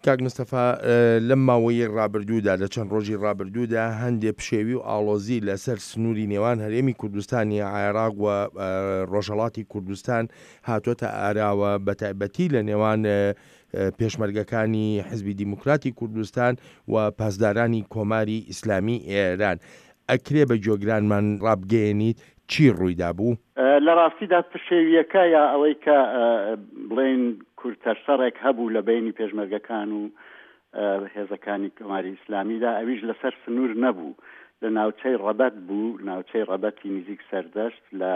کاک مستەفا لەم ماوەیەی ڕابردوودا لە چەند ڕۆژی ڕابردوودا هەندێ پشێوی و ئاڵۆزی لەسەر سنووری نێوان هەرێمی کوردستانی عێراق و ڕۆژهەڵاتی کوردستان هاتۆتە ئاراوە بەتایبەتی لە نێوان پێشمەرگەکانی حزبی دیموکراتی کوردستان و پاسدارانی کۆماری ئیسلامی ئێران. ئەکرێ بە گوێگرانمان ڕابگەیەنیت چی ڕوویدابوو؟ لە ڕاستیدا پشێوییەکە یا ئەوەی کە بڵێین کورتە شەڕێک هەبوو لە بەینی پێشمەرگەکان و هێزەکانی کۆماری ئیسلامیدا ئەویش لەسەر سنوور نەبوو لە ناوچەی ڕەبەت بوو، ناوچەی ڕەبەتی نزیک سەردەشت لە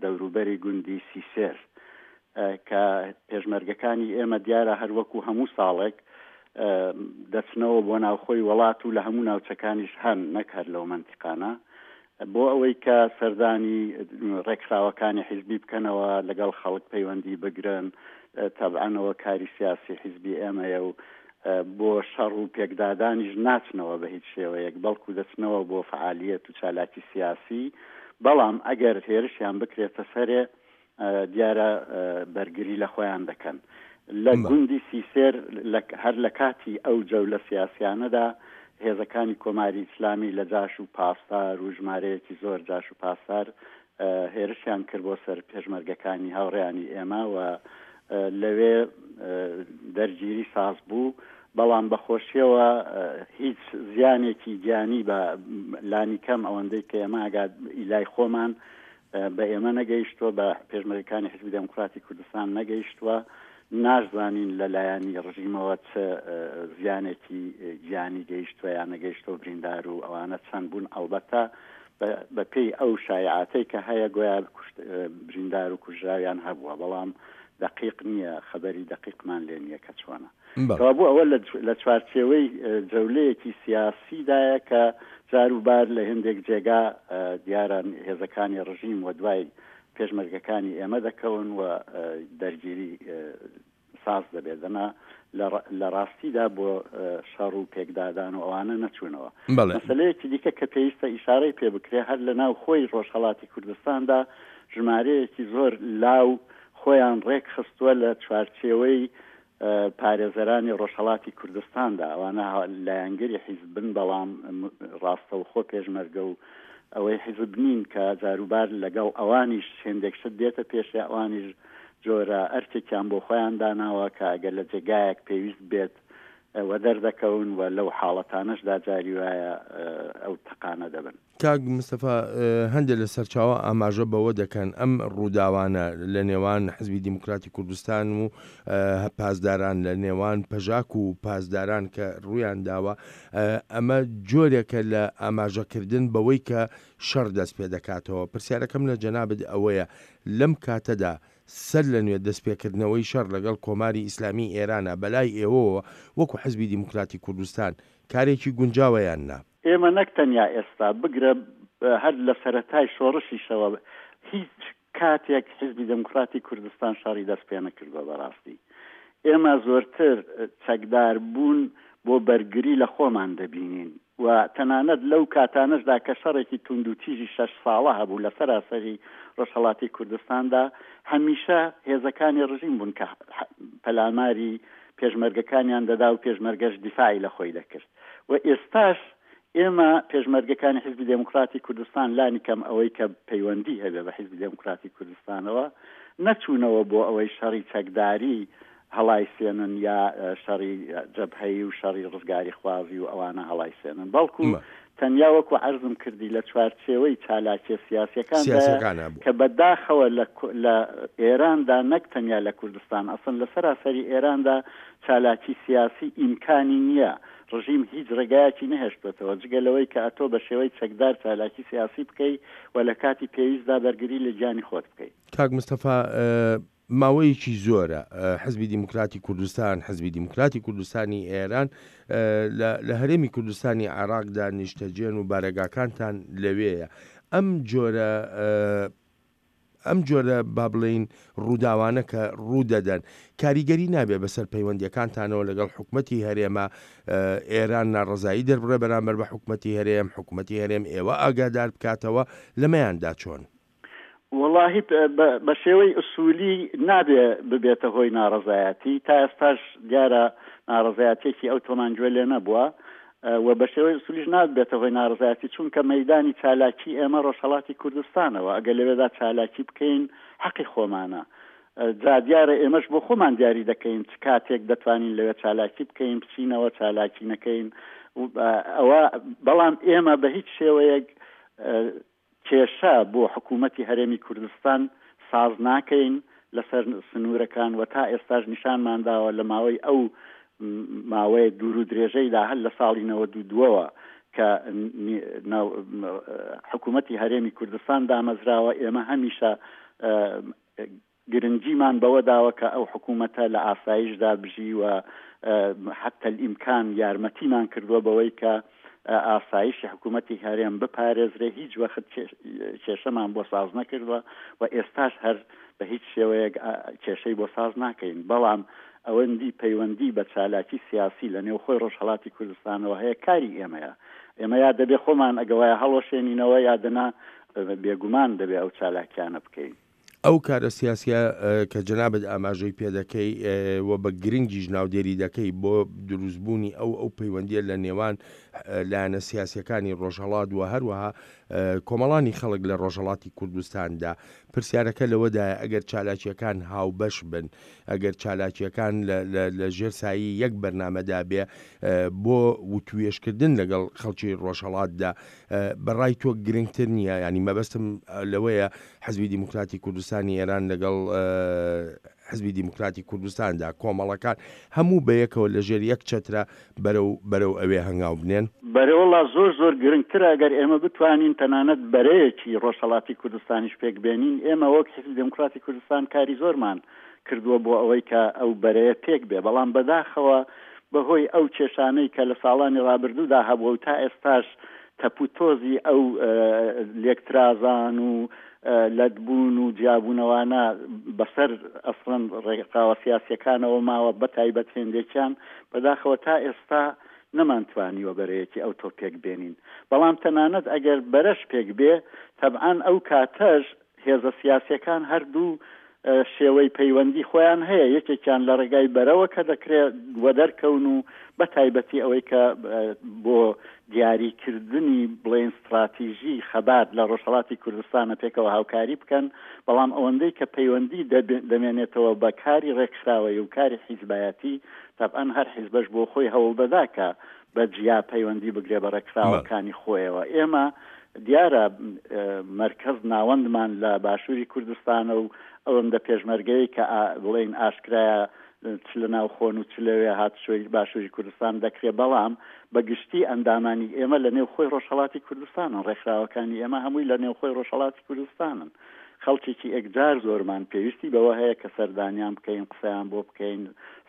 دەوروبەری گوندی سیسێر کە پێشمەرگەکانی ئێمە دیارە هەر وەکوو هەموو ساڵێک دەچنەوە بۆ ناوخۆی وەڵات و لە هەموو ناوچەکانیش هەن نەک هەر لەو مەنتیقانە بۆ ئەوەی کە سەردانی ڕێکخراوەکانی حیزبی بکەنەوە، لەگەڵ خەڵک پەیوەندی بگرن، تەبعەن ئەوە کاری سیاسی حیزبی ئێمەیە و بۆ شەڕ و پێکدادانیش ناچنەوە بە هیچ شێوەیەک، بەڵکو دەچنەوە بۆ فەعالیەت و چالاکی سیاسی، بەڵام ئەگەر هێرشیان بکرێتە سەرێ دیارە بەرگری لە خۆیان دەکەن. لە گوندی سیسێر هەر لە کاتی ئەو جەولە سیاسیانەدا هێزەکانی کۆماری ئیسلامی لە جاش و پاسدار و ژمارەیەکی زۆر جاش و پاسدار هێرشیان کرد بۆ سەر پێشمەرگەکانی هاوڕێیانی ئێمە و لەوێ دەرگیری ساز بوو، بەڵام بەخۆشیەوە هیچ زیانێکی گیانی بە لانیکەم ئەوەندەی کە ئێمە ئاگا لای خۆمان بە ئێمە نەگەیشتووە، بە پێشمەرگەکانی حیزبی دێموکڕاتی کوردستان نەگەیشتووە، ناشزانین لە لایەنی ڕژیمەوە چ زیانێکی گیانی گەیشتووە یا نەگەیشتووە، بریندار و ئەوانە چەند بوون، ئەڵبەتە بە پێی ئەو شایعاتەی کە هەیە گۆیا بریندار و کوژراویان هەبووە، بەڵام دەقیق نییە، خەبەری دەقیقمان لێ نییە کە چۆنە. کەوابوو ئەوە لە چوارچێوەی جەولەیەکی سیاسیدایە کە جار و بار لە هێندێک جێگا دیارە هێزەکانی ڕژیم و دوای پێشمەرگەکانی ئێمە دەکەون و دەرگیری ساز دەبێت دەنا لە ڕاستیدا بۆ شەڕ و پێکدادان و ئەوانە نەچوونەوە. مەسەلەیەکی دیکە کە پێویستە ئیشارەی پێ بکرێ هەر لە ناو خۆی ڕۆژهەڵاتی کوردستاندا ژمارەیەکی زۆر لاو خۆیان ڕێک خستووە لە چوارچێوەی پارێزەرانی ڕۆژهەڵاتی کوردستاندا، ئەوانە لایەنگری حیزبن بەڵام ڕاستەوخۆ پێشمەرگە و ئەوەی حیزب نین کە جاروبار لەگەڵ ئەوانیش هێندێک شت دێتە پێشێ ئەوانیش جۆرە ئەرکێکیان بۆ خۆیان داناوە کە ئەگەر لە جێگایەک پێویست بێت وەدەردەکەون و لەو حاڵەتانەشدا جاری وایە ئەو تەقانە دەبن. کاک مستەفا هەندێک لە سەرچاوە ئاماژە بەوە دەکەن ئەم ڕووداوانە لە نێوان حزبی دیموکراتی کوردستان و پاسداران لە نێوان پەژاک و پاسداران کە ڕوویان داوە ئەمە جۆرێکە لە ئاماژەکردن بەوەی کە شەڕ دەست پێ دەکاتەوە پرسیارەکەم لە جەنابت ئەوەیە لەم کاتەدا سەر لە نوێ دەستپێکردنەوەی شەڕ لەگەڵ کۆماری ئیسلامی ئێرانە بەلای ئێوەوە وەکو حزبی دیموکراتی کوردستان کارێکی گونجاوە یان نا؟ ئێمە نەک تەنیا ئێستا، بگرە هەر لە سەرەتای شۆڕشیشەوە هیچ کاتێک حیزبی دێموکڕاتی کوردستان شەڕی دەست پێ نەکردووە. بەڕاستی ئێمە زۆرتر چەکدار بوون بۆ بەرگری لە خۆمان دەبینین و تەنانەت لەو کاتانەشدا کە شەڕێکی توندوتیژی شەش ساڵە هەبوو لە سەراسەری ڕۆژهەڵاتی کوردستاندا هەمیشە هێزەکانی ڕژیم بوون کە پەلاماری پێشمەرگەکانیان دەدا و پێشمەرگەش دیفاعی لە خۆی دەکرد. و ئێستاش ئێمە پێشمەرگەکانی حیزبی دێموکڕاتی کوردستان لانی کەم ئەوەی کە پەیوەندی هەبێ بە حیزبی دێموکڕاتی کوردستانەوە نەچوونەوە بۆ ئەوەی شەڕی چەکداری هەڵایسێنن یا شەڕی جەبهەیی و شەڕی ڕزگاریخوازی و ئەوانە هەڵایسێنن بەڵکو تەنیا وەکو عەرزم کردی لە چوارچێوەی چالاکیە سیاسیەکاندایە کە بە داخەوە لە لە ئێراندا نەک تەنیا لە کوردستان ئەسڵەن لە سەراسەری ئێراندا چالاکی سیاسی ئیمکانی نیە ڕژیم هیچ ڕێگایەکی نەهێشتۆتەوە جگە لەوەی کە ئەتۆ بە شێوەی چەکدار چالاکی سیاسی بکەی و لە کاتی پێویستدا بەرگری لە گیانی خۆت بکەی. کاک مستەفا ماوەیەکی زۆرە حزبی دیموکراتی کوردستان، حزبی دیموکراتی کوردستانی ئێران لە هەرێمی کوردستانی عێراقدا نیشتەجێن و بارەگاکانتان لەوێیە. ئەم جۆرە ئەم جۆرە با بڵێین ڕووداوانە کە ڕوو دەدەن کاریگەری نابێ بەسەر پەیوەندیەکانتانەوە لەگەڵ حکومەتی هەرێمە ئێران ناڕەزایی دەربڕێ بەرامبەر بە حکومەتی هەرێم، حکومەتی هەرێم ئێوە ئاگادار بکاتەوە لەمەیاندا چۆن؟ وەڵاهی بە شێوەی ئوسولی نابێ ببێتە هۆی ناڕەزایەتی، تا ئێستاش دیارە ناڕەزایەتیەکی ئەوتۆمان گوێ لێ نەبووە و بە شێوەی ئوسولیش نابێتە هۆی ناڕەزایەتی چونکە مەیدانی چالاکی ئێمە ڕۆژهەڵاتی کوردستانە و ئەگەر لەوێدا چالاکی بکەین حەقی خۆمانە جا دیارە ئێمەش بۆ خۆمان دیاری دەکەین چ کاتێک دەتوانین لەوێ چالاکی بکەین بچینەوە چالاکی نەکەین ئەوە بەڵام ئێمە بە هیچ شێوەیەک کێشە بۆ حکوومەتی هەرێمی کوردستان ساز ناکەین لەسەر سنوورەکان و تا ئێستاش نیشانمان داوە لە ماوەی ئەو ماوەیە دوور و درێژەیدا هەر لە ساڵی نەوەد و دووەوە کە حکوومەتی هەرێمی کوردستان دامەزراوە ئێمە هەمیشە گرنگیمان بەوە داوە کە ئەو حکوومەتە لە ئاسایشدا بژی و حتی الامکان یارمەتیمان کردووە بەوەی کە ئاسایشی حکوومەتی هەرێم بپارێزرێ، هیچ وەخت کێشەمان بۆ ساز نەکردووە و ئێستاش هەر بە هیچ شێوەیەک کێشەی بۆ ساز ناکەین، بەڵام ئەوەندی پەیوەندی بە چالاکی سیاسی لە نێوخۆی ڕۆژهەڵاتی کوردستانەوە هەیە کاری ئێمەیە، ئێمە یا دەبێ خۆمان ئەگەوایە هەڵوەشێنینەوە یا دەنا بێگومان دەبێ ئەو چالاکیانە بکەین. ئەو کارە سیاسیە کە جەنابت ئاماژەی پێ دەکەی و بە گرنگیش ناودێری دەکەی بۆ دروستبوونی ئەو ئەو پەیوەندیە لە نێوان لایەنە سیاسیەکانی ڕۆژهەڵات و هەروەها کۆمەڵانی خەڵک لە ڕۆژهەڵاتی کوردستاندا پرسیارەکە لەوەدایە ئەگەر چالاکیەکان هاوبەش بن ئەگەر چالاکیەکان لە ژێر سایەی یەک بەرنامەدا بێ بۆ وتوێژکردن لەگەڵ خەڵکی ڕۆژهەڵاتدا بە ڕای تۆ گرنگتر نییە؟ یانی مەبەستم لەوەیە حزبی دیموکراتی کوردستانی ئێران لەگەڵ حزبی دیموکراتی کوردستاندا، کۆمەڵەکان هەموو بەیەکەوە لە ژێر یەک چەترا بەرەو بەرەو ئەوێ هەنگاو بنێن؟ بەرەوەڵا زۆر زۆر گرنگترە ئەگەر ئێمە بتوانین تەنانەت بەرەیەکی ڕۆژهەڵاتی کوردستانیش پێک بێنین، ئێمە وەک حیزبی دێموکراتی کوردستان کاری زۆرمان کردووە بۆ ئەوەی کە ئەو بەرەیە پێک بێ، بەڵام بەداخەوە بە هۆی ئەو کێشانەی کە لە ساڵانی ڕابردوودا هەبووە و تا ئێستاش تەپوتۆزی ئەو لێکترازان و لەتبوون و جیابوونەوانە بەسەر ئەسڵەن ڕێکخراوە سیاسییەکانەوە ماوە بە تایبەت هێندێکیان، بەداخەوە تا ئێستا نەمانتوانیوە بەرەیەکی ئەوتۆ پێک بێنین. بەڵام تەنانەت ئەگەر بەرەش پێک بێ تەبعەن ئەو کاتەش هێزە سیاسیەکان هەردوو شێوەی پەیوەندی خۆیان هەیە، یەکێکیان لە ڕێگای بەرەوە کە دەکرێ وەدەرکەون و بە تایبەتی ئەوەی کە بۆ دیاریکردنی بڵێین ستڕاتیژی خەبات لە ڕۆژهەڵاتی کوردستانە پێکەوە هاوکاری بکەن، بەڵام ئەوەندەی کە پەیوەندی دەمێنێتەوە بە کاری ڕێکخراوەیی و کاری حیزبایەتی، تەبعەن هەر حیزبەش بۆ خۆی هەوڵدەدا کە بە جیا پەیوەندی بگرێ بە ڕێکخراوەکانی خۆیەوە. ئێمە دیارە مەرکەز ناوەندمان لە باشووری کوردستانە و ئەوەندە پێشمەرگەیەی کە بڵێین ئاشکرایە چ لە ناوخۆن و چ لەوێ هاتوچۆی باشووری کوردستان دەکرێ، بەڵام بە گشتی ئەندامانی ئێمە لە نێوخۆی ڕۆژهەڵاتی کوردستانن، ڕێکخراوەکانی ئێمە هەمووی لە نێوخۆی ڕۆژهەڵاتی کوردستانن. خەڵکێکی ئێکجار زۆرمان پێویستی بەوە هەیە کە سەردانیان بکەین، قسەیان بۆ بکەین،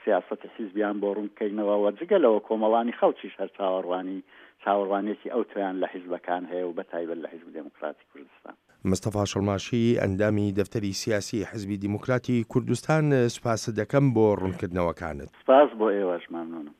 سیاسەتی حیزبیان بۆ ڕوون بکەینەوە و جگە لەوە کۆمەڵانی خەڵکیش هەر چاوەڕوانی چاوەڕوانیەکی ئەوتۆیان لە حیزبەکان هەیە و بە تایبەت لە حیزبی دێموکراتی کوردستان. مستەفا شڵماشی، ئەندامی دەفتەری سیاسی حیزبی دیموکراتی کوردستان، سوپاست دەکەم بۆ ڕوونکردنەوەکانت. سپاس بۆ ئێوەش، مەمنوونم.